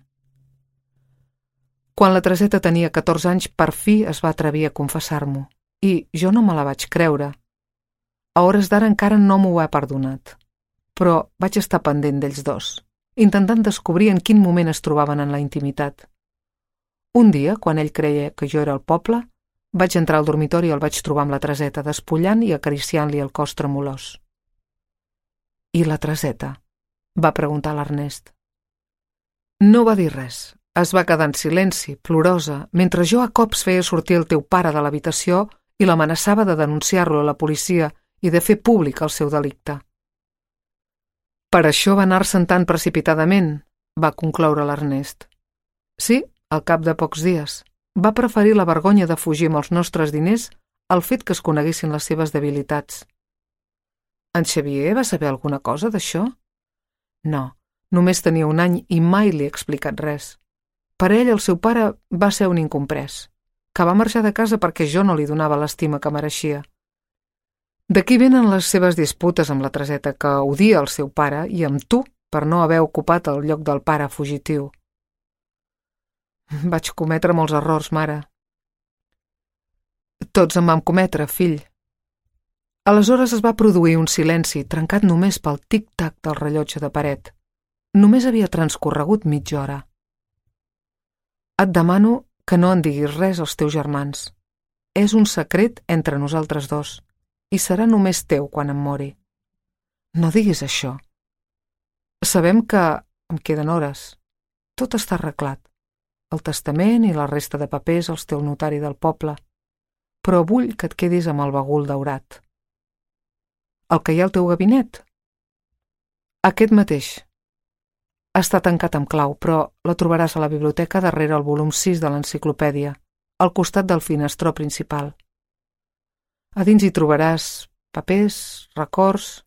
Quan la Tereseta tenia 14 anys, per fi es va atrevir a confessar-m'ho, i jo no me la vaig creure. A hores d'ara encara no m'ho ha perdonat, però vaig estar pendent d'ells dos, intentant descobrir en quin moment es trobaven en la intimitat. Un dia, quan ell creia que jo era al poble, vaig entrar al dormitori i el vaig trobar amb la Tereseta, despullant i acariciant-li el cos tremolós. I la Tereseta? Va preguntar l'Ernest. No va dir res. Es va quedar en silenci, plorosa, mentre jo a cops feia sortir el teu pare de l'habitació i l'amenaçava de denunciar-lo a la policia i de fer públic el seu delicte. Per això va anar-se'n tan precipitadament, va concloure l'Ernest. Sí, al cap de pocs dies. Va preferir la vergonya de fugir amb els nostres diners al fet que es coneguessin les seves debilitats. En Xavier va saber alguna cosa d'això? No, només tenia un any i mai li he explicat res. Per ell, el seu pare va ser un incomprès, que va marxar de casa perquè jo no li donava l'estima que mereixia. D'aquí venen les seves disputes amb la Tereseta, que odia el seu pare, i amb tu per no haver ocupat el lloc del pare fugitiu. Vaig cometre molts errors, mare. Tots en vam cometre, fill. Aleshores es va produir un silenci, trencat només pel tic-tac del rellotge de paret. Només havia transcorregut mitja hora. Et demano que no en diguis res als teus germans. És un secret entre nosaltres dos, i serà només teu quan em mori. No diguis això. Sabem que em queden hores. Tot està arreglat. El testament i la resta de papers els té el notari del poble, però vull que et quedis amb el bagul daurat. El que hi ha al teu gabinet? Aquest mateix. Està tancat amb clau, però la trobaràs a la biblioteca darrere el volum 6 de l'enciclopèdia, al costat del finestró principal. A dins hi trobaràs papers, records...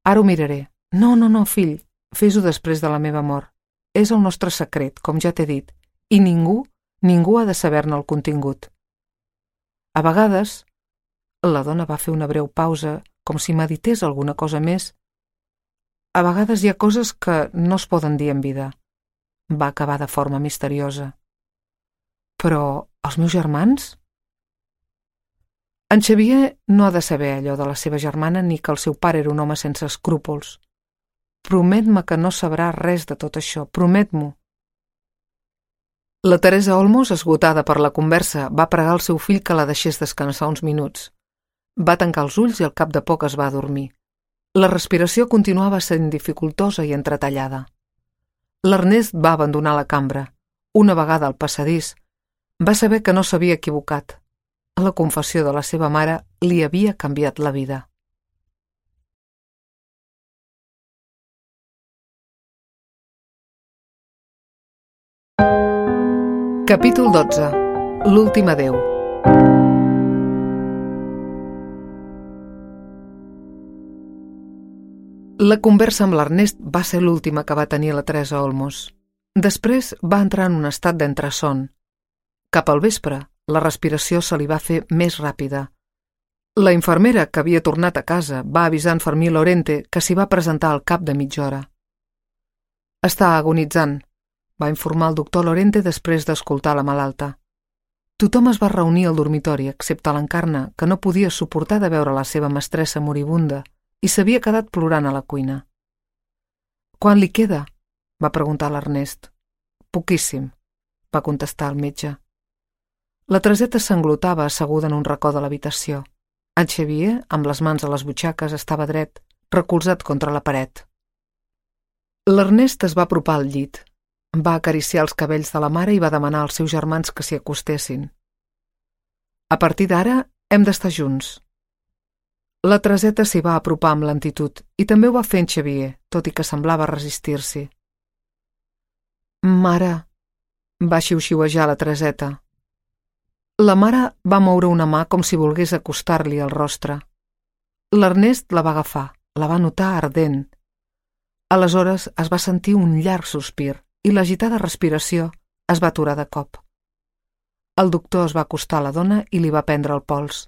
Ara ho miraré. No, fill, fes-ho després de la meva mort. És el nostre secret, com ja t'he dit, i ningú ha de saber-ne el contingut. A vegades, la dona va fer una breu pausa, com si medités alguna cosa més. A vegades hi ha coses que no es poden dir en vida. Va acabar de forma misteriosa. Però els meus germans? En Xavier no ha de saber allò de la seva germana ni que el seu pare era un home sense escrúpols. Promet-me que no sabrà res de tot això, promet-m'ho. La Teresa Olmos, esgotada per la conversa, va pregar al seu fill que la deixés descansar uns minuts. Va tancar els ulls i al cap de poc es va adormir. La respiració continuava sent dificultosa i entretallada. L'Ernest va abandonar la cambra. Una vegada al passadís, va saber que no s'havia equivocat. La confessió de la seva mare li havia canviat la vida. Capítol 12. L'últim adeu. La conversa amb l'Ernest va ser l'última que va tenir la Teresa Olmos. Després va entrar en un estat d'entreson. Cap al vespre, la respiració se li va fer més ràpida. La infermera, que havia tornat a casa, va avisar en Fermí Lorente que s'hi va presentar al cap de mitja hora. Està agonitzant, va informar el doctor Lorente després d'escoltar la malalta. Tothom es va reunir al dormitori, excepte l'Encarna, que no podia suportar de veure la seva mestressa moribunda i s'havia quedat plorant a la cuina. «Quant li queda?», va preguntar l'Ernest. «Poquíssim», va contestar el metge. La Tereseta s'englotava asseguda en un racó de l'habitació. En Xavier, amb les mans a les butxaques, estava dret, recolzat contra la paret. L'Ernest es va apropar al llit. Va acariciar els cabells de la mare i va demanar als seus germans que s'hi acostessin. «A partir d'ara hem d'estar junts». La Tereseta s'hi va apropar amb lentitud i també ho va fer en Xavier, tot i que semblava resistir-s'hi. «Mare», va xiuxiuejar la Tereseta. La mare va moure una mà com si volgués acostar-li al rostre. L'Ernest la va agafar, la va notar ardent. Aleshores es va sentir un llarg sospir i l'agitada respiració es va aturar de cop. El doctor es va acostar a la dona i li va prendre el pols.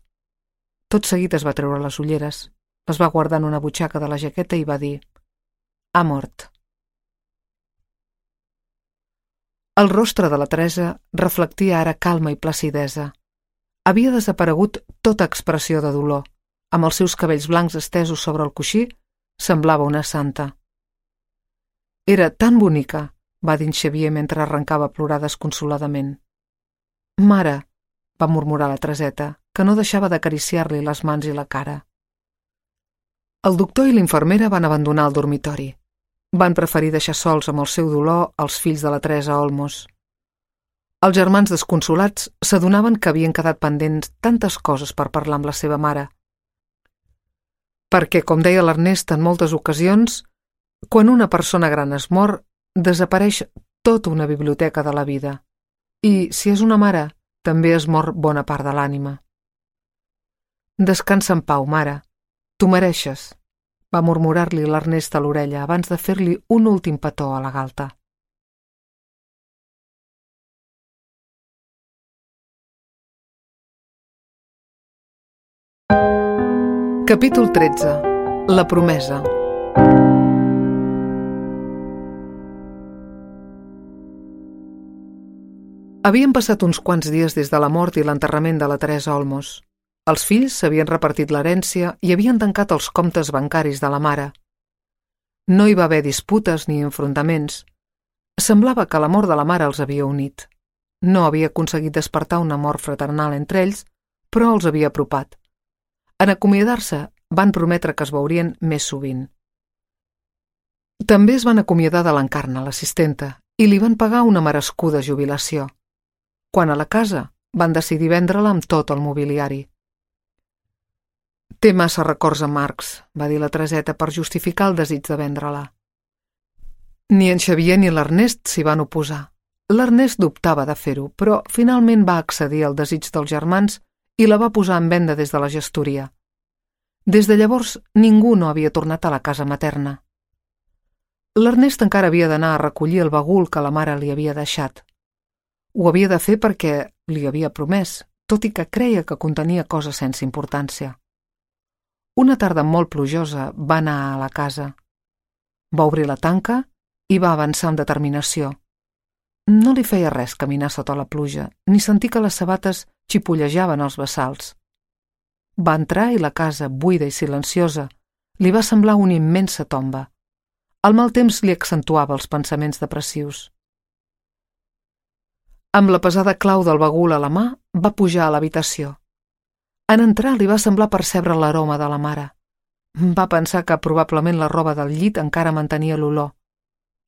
Tot seguit es va treure les ulleres, les va guardar en una butxaca de la jaqueta i va dir: «Ha mort». El rostre de la Teresa reflectia ara calma i placidesa. Havia desaparegut tota expressió de dolor. Amb els seus cabells blancs estesos sobre el coixí, semblava una santa. «Era tan bonica», va dir en Xavier mentre arrencava a plorar desconsoladament. «Mare», va murmurar la Tereseta, que no deixava d'acariciar-li les mans i la cara. El doctor i l'infermera van abandonar el dormitori. Van preferir deixar sols amb el seu dolor els fills de la Teresa Olmos. Els germans desconsolats s'adonaven que havien quedat pendents tantes coses per parlar amb la seva mare. Perquè, com deia l'Ernest en moltes ocasions, quan una persona gran es mor, desapareix tota una biblioteca de la vida. I, si és una mare, també es mor bona part de l'ànima. «Descansa en pau, mare. T'ho mereixes», va murmurar-li l'Ernest a l'orella abans de fer-li un últim petó a la galta. Capítol 13. La promesa. Havien passat uns quants dies des de la mort i l'enterrament de la Teresa Olmos. Els fills s'havien repartit l'herència i havien tancat els comptes bancaris de la mare. No hi va haver disputes ni enfrontaments. Semblava que l'amor de la mare els havia unit. No havia aconseguit despertar un amor fraternal entre ells, però els havia apropat. En acomiadar-se, van prometre que es veurien més sovint. També es van acomiadar de l'Encarna, l'assistenta, i li van pagar una merescuda jubilació. Quan a la casa, van decidir vendre-la amb tot el mobiliari. «Té massa records amargs», va dir la Tereseta per justificar el desig de vendre-la. Ni en Xavier ni l'Ernest s'hi van oposar. L'Ernest dubtava de fer-ho, però finalment va accedir al desig dels germans i la va posar en venda des de la gestoria. Des de llavors, ningú no havia tornat a la casa materna. L'Ernest encara havia d'anar a recollir el bagul que la mare li havia deixat. Ho havia de fer perquè li havia promès, tot i que creia que contenia coses sense importància. Una tarda molt plujosa va anar a la casa. Va obrir la tanca i va avançar amb determinació. No li feia res caminar sota la pluja, ni sentir que les sabates xipollejaven als bassals. Va entrar i la casa, buida i silenciosa, li va semblar una immensa tomba. El mal temps li accentuava els pensaments depressius. Amb la pesada clau del bagul a la mà, va pujar a l'habitació. En entrar li va semblar percebre l'aroma de la mare. Va pensar que probablement la roba del llit encara mantenia l'olor.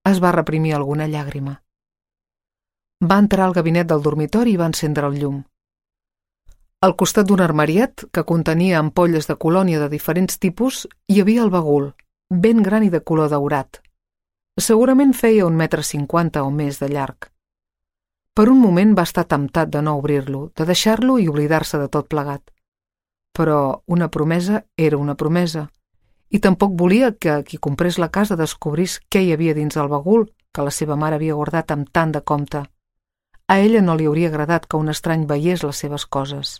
Es va reprimir alguna llàgrima. Va entrar al gabinet del dormitori i va encendre el llum. Al costat d'un armariet, que contenia ampolles de colònia de diferents tipus, hi havia el bagul, ben gran i de color daurat. Segurament feia 1,50 m o més de llarg. Per un moment va estar temptat de no obrir-lo, de deixar-lo i oblidar-se de tot plegat. Però una promesa era una promesa, i tampoc volia que qui comprés la casa descobrís què hi havia dins el bagul que la seva mare havia guardat amb tant de compte. A ella no li hauria agradat que un estrany veiés les seves coses.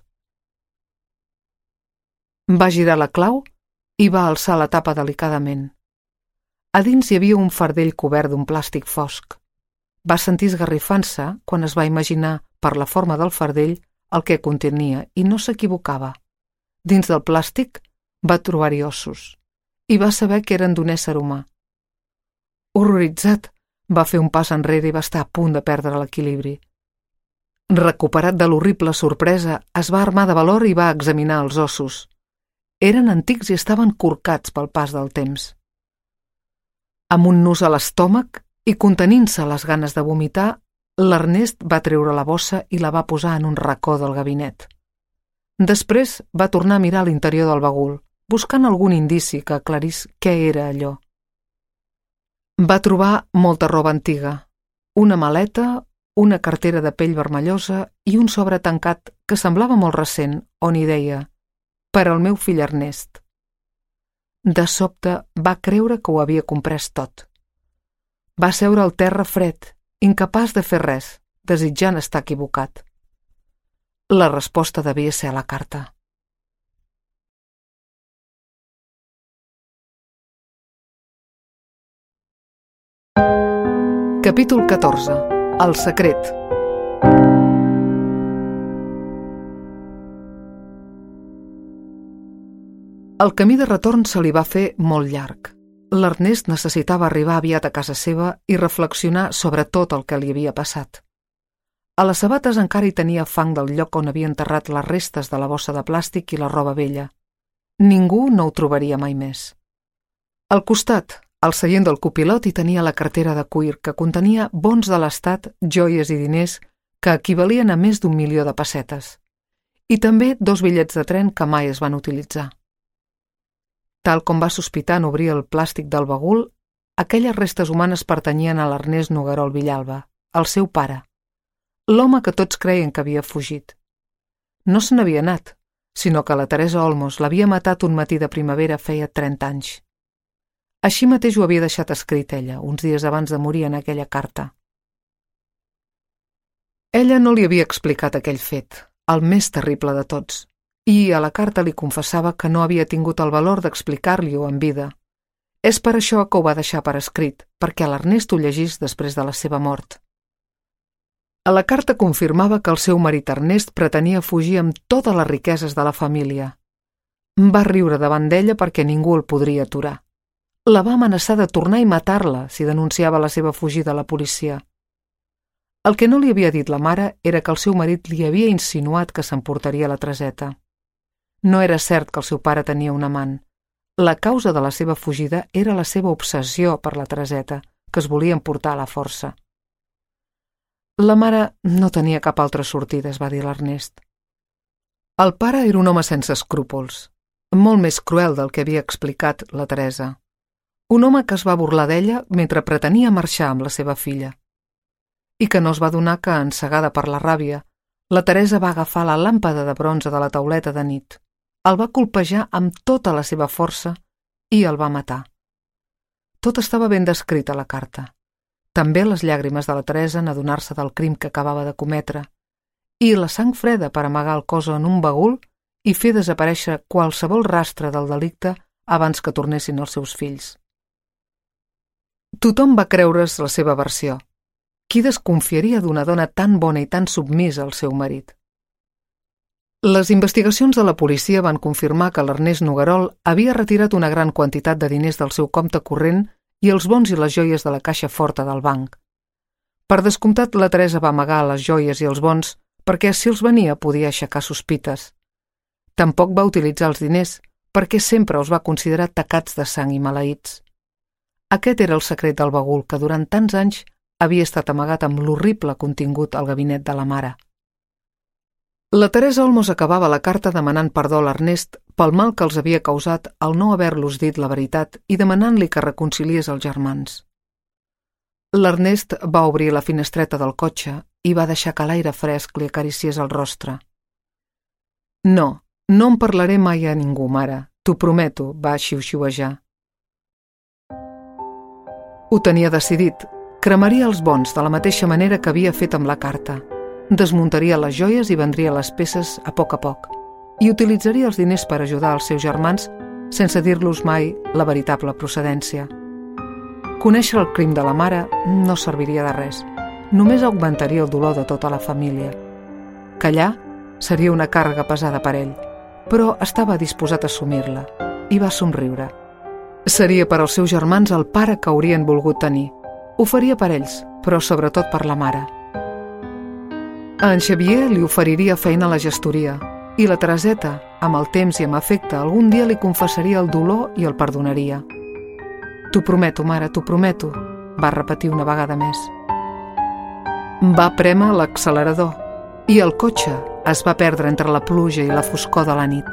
Va girar la clau i va alçar la tapa delicadament. A dins hi havia un fardell cobert d'un plàstic fosc. Va sentir esgarrifant-se quan es va imaginar, per la forma del fardell, el que contenia, i no s'equivocava. Dins del plàstic va trobar-hi ossos, i va saber que eren d'un ésser humà. Horroritzat, va fer un pas enrere i va estar a punt de perdre l'equilibri. Recuperat de l'horrible sorpresa, es va armar de valor i va examinar els ossos. Eren antics i estaven corcats pel pas del temps. Amb un nus a l'estómac i contenint-se les ganes de vomitar, l'Ernest va treure la bossa i la va posar en un racó del gabinet. Després va tornar a mirar l'interior del bagul, buscant algun indici que aclarís què era allò. Va trobar molta roba antiga, una maleta, una cartera de pell vermellosa i un sobre tancat que semblava molt recent, on hi deia «Per al meu fill Ernest». De sobte va creure que ho havia comprès tot. Va seure al terra fred, incapaç de fer res, desitjant estar equivocat. La resposta devia ser a la carta. Capítol 14. El secret. El camí de retorn se li va fer molt llarg. L'Ernest necessitava arribar aviat a casa seva i reflexionar sobre tot el que li havia passat. A les sabates encara hi tenia fang del lloc on havia enterrat les restes de la bossa de plàstic i la roba vella. Ningú no ho trobaria mai més. Al costat, al seient del copilot, hi tenia la cartera de cuir que contenia bons de l'estat, joies i diners que equivalien a més d'1 milió de pessetes. I també 2 bitllets de tren que mai es van utilitzar. Tal com va sospitar en obrir el plàstic del bagul, aquelles restes humanes pertanyien a l'Ernest Noguerol Villalba, el seu pare, l'home que tots creien que havia fugit. No se n'havia anat, sinó que la Teresa Olmos l'havia matat un matí de primavera feia 30 anys. Així mateix ho havia deixat escrit ella, uns dies abans de morir en aquella carta. Ella no li havia explicat aquell fet, el més terrible de tots, i a la carta li confessava que no havia tingut el valor d'explicar-li-ho en vida. És per això que ho va deixar per escrit, perquè l'Ernest ho llegís després de la seva mort. A la carta confirmava que el seu marit Ernest pretenia fugir amb totes les riqueses de la família. Va riure davant d'ella perquè ningú el podria aturar. La va amenaçar de tornar i matar-la si denunciava la seva fugida a la policia. El que no li havia dit la mare era que el seu marit li havia insinuat que s'emportaria la Tereseta. No era cert que el seu pare tenia un amant. La causa de la seva fugida era la seva obsessió per la Tereseta, que es volia emportar a la força. La mare no tenia cap altra sortida, es va dir l'Ernest. El pare era un home sense escrúpols, molt més cruel del que havia explicat la Teresa. Un home que es va burlar d'ella mentre pretenia marxar amb la seva filla. I que no es va adonar que, encegada per la ràbia, la Teresa va agafar la làmpada de bronze de la tauleta de nit. El va colpejar amb tota la seva força i el va matar. Tot estava ben descrit a la carta. També les llàgrimes de la Teresa en adonar-se del crim que acabava de cometre, i la sang freda per amagar el cos en un bagul i fer desaparèixer qualsevol rastre del delicte abans que tornessin els seus fills. Tothom va creure's la seva versió. Qui desconfiaria d'una dona tan bona i tan submisa al seu marit? Les investigacions de la policia van confirmar que l'Ernest Noguerol havia retirat una gran quantitat de diners del seu compte corrent i els bons i les joies de la caixa forta del banc. Per descomptat, la Teresa va amagar les joies i els bons perquè si els venia podia aixecar sospites. Tampoc va utilitzar els diners perquè sempre els va considerar tacats de sang i maleïts. Aquest era el secret del bagul que durant tants anys havia estat amagat amb l'horrible contingut al gabinet de la mare. La Teresa Olmos acabava la carta demanant perdó a l'Ernest pel mal que els havia causat al no haver-los dit la veritat i demanant-li que reconciliés els germans. L'Ernest va obrir la finestreta del cotxe i va deixar que l'aire fresc li acariciés el rostre. No en parlaré mai a ningú, mare, t'ho prometo, va xiuxiuejar. Ho tenia decidit. Cremaria els bons de la mateixa manera que havia fet amb la carta. Desmuntaria les joies i vendria les peces a poc i utilitzaria els diners per ajudar els seus germans sense dir-los mai la veritable procedència. Conèixer el crim de la mare no serviria de res, només augmentaria el dolor de tota la família. Callar seria una càrrega pesada per ell, però estava disposat a assumir-la i va somriure. Seria per als seus germans el pare que haurien volgut tenir. Ho faria per ells, però sobretot per la mare. A en Xavier li oferiria feina a la gestoria i la Tereseta, amb el temps i amb afecte, algun dia li confessaria el dolor i el perdonaria. T'ho prometo, mare, t'ho prometo, va repetir una vegada més. Va prémer l'accelerador i el cotxe es va perdre entre la pluja i la foscor de la nit.